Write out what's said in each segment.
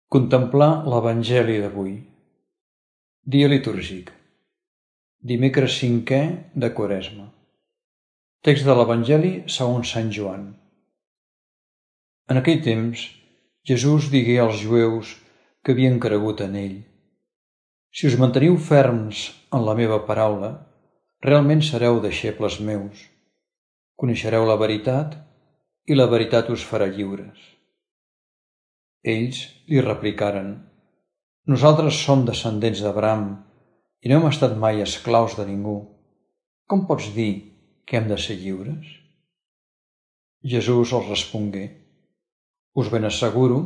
Contemplar l'Evangeli d'avui. Dia litúrgic. Dimecres 5è de Quaresma. Text de l'Evangeli segons Sant Joan. En aquell temps, Jesús digué als jueus que havien cregut en ell: si us manteniu ferms en la meva paraula, realment sereu deixebles meus. Coneixereu la veritat i la veritat us farà lliures. Ells li replicaren: nosaltres som descendents d'Abraham i no hem estat mai esclaus de ningú. Com pots dir que hem de ser lliures? Jesús els respongué: us ben asseguro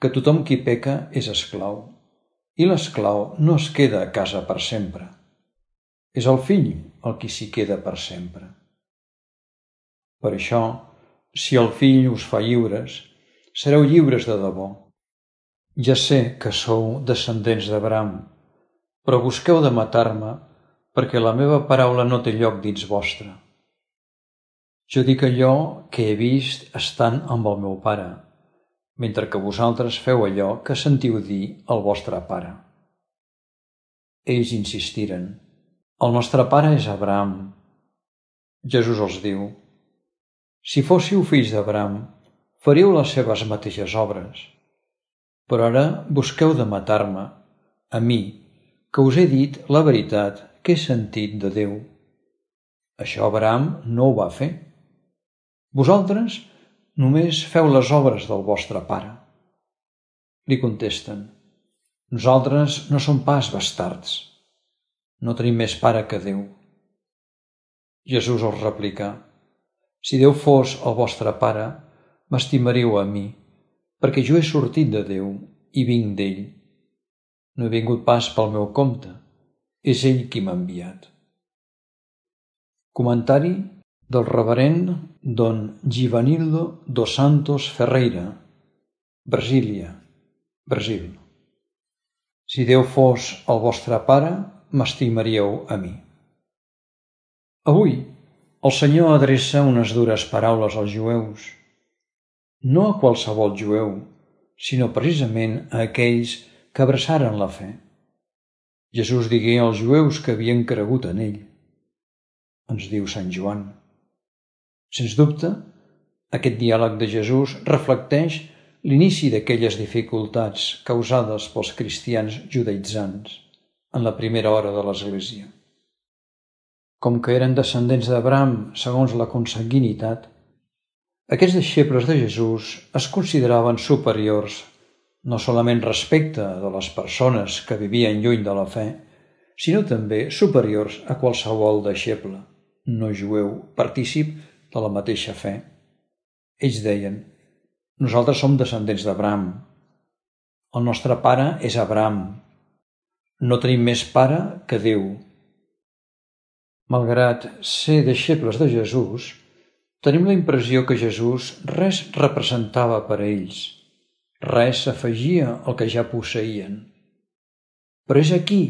que tothom qui peca és esclau, i l'esclau no es queda a casa per sempre. És el fill el qui s'hi queda per sempre. Per això, si el fill us fa lliures, sereu lliures de debò. Ja sé que sou descendents d'Abraham, però busqueu de matar-me perquè la meva paraula no té lloc dins vostre. Jo dic allò que he vist estant amb el meu pare, mentre que vosaltres feu allò que sentiu dir al vostre pare. Ells insistiren: el nostre pare és Abraham. Jesús els diu: si fóssiu fills d'Abraham, faríeu les seves mateixes obres. Però ara busqueu de matar-me, a mi, que us he dit la veritat que he sentit de Déu. Això Abraham no ho va fer. Vosaltres només feu les obres del vostre pare. Li contesten: nosaltres no som pas bastards. No tenim més pare que Déu. Jesús els replica: si Déu fos el vostre pare, m'estimaríeu a mi, perquè jo he sortit de Déu i vinc d'ell. No he vingut pas pel meu compte, és ell qui m'ha enviat. Comentari del reverend Don Givanildo dos Santos Ferreira, Brasília, Brasil. Si Déu fos el vostre pare, m'estimaríeu a mi. Avui, el Senyor adreça unes dures paraules als jueus. No a qualsevol jueu, sinó precisament a aquells que abraçaren la fe. Jesús digué als jueus que havien cregut en ell. Ens diu Sant Joan. Sens dubte, aquest diàleg de Jesús reflecteix l'inici d'aquelles dificultats causades pels cristians judaïtzants en la primera hora de l'Església. Com que eren descendents d'Abraham segons la consanguinitat, aquests deixebles de Jesús es consideraven superiors no solament respecte de les persones que vivien lluny de la fe, sinó també superiors a qualsevol deixeble, no jueu, partícip de la mateixa fe. Ells deien: nosaltres som descendents d'Abraham. El nostre pare és Abraham. No tenim més pare que Déu. Malgrat ser deixebles de Jesús, tenim la impressió que Jesús res representava per a ells, res s'afegia al que ja posseïen. Però és aquí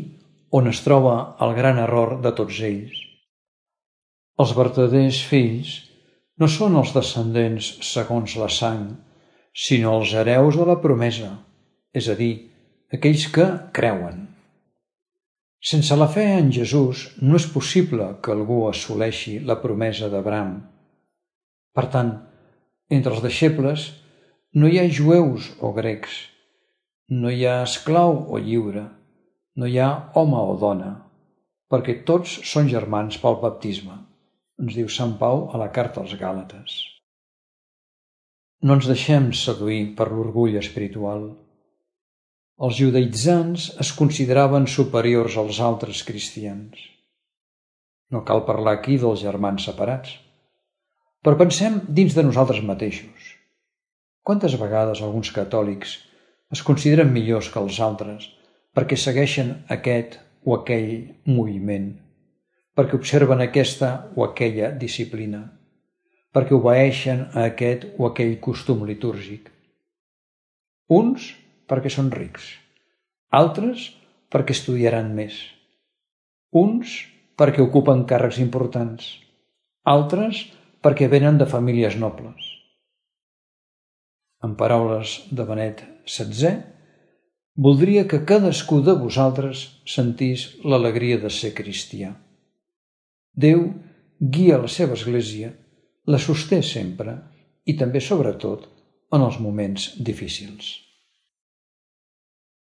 on es troba el gran error de tots ells. Els vertaders fills no són els descendents segons la sang, sinó els hereus de la promesa, és a dir, aquells que creuen. Sense la fe en Jesús no és possible que algú assoleixi la promesa d'Abraham. Per tant, entre els deixebles no hi ha jueus o grecs, no hi ha esclau o lliure, no hi ha home o dona, perquè tots són germans pel baptisme, ens diu Sant Pau a la carta als Gàlates. No ens deixem seduir per l'orgull espiritual. Els judaïtzants es consideraven superiors als altres cristians. No cal parlar aquí dels germans separats. Però pensem dins de nosaltres mateixos. Quantes vegades alguns catòlics es consideren millors que els altres perquè segueixen aquest o aquell moviment, perquè observen aquesta o aquella disciplina, perquè obeeixen a aquest o aquell costum litúrgic? Uns perquè són rics, altres perquè estudiaran més, uns perquè ocupen càrrecs importants, altres perquè venen de famílies nobles. En paraules de Benet XVI, Voldria que cadascú de vosaltres sentís l'alegria de ser cristià. Déu guia la seva església, la sosté sempre i també, sobretot, en els moments difícils.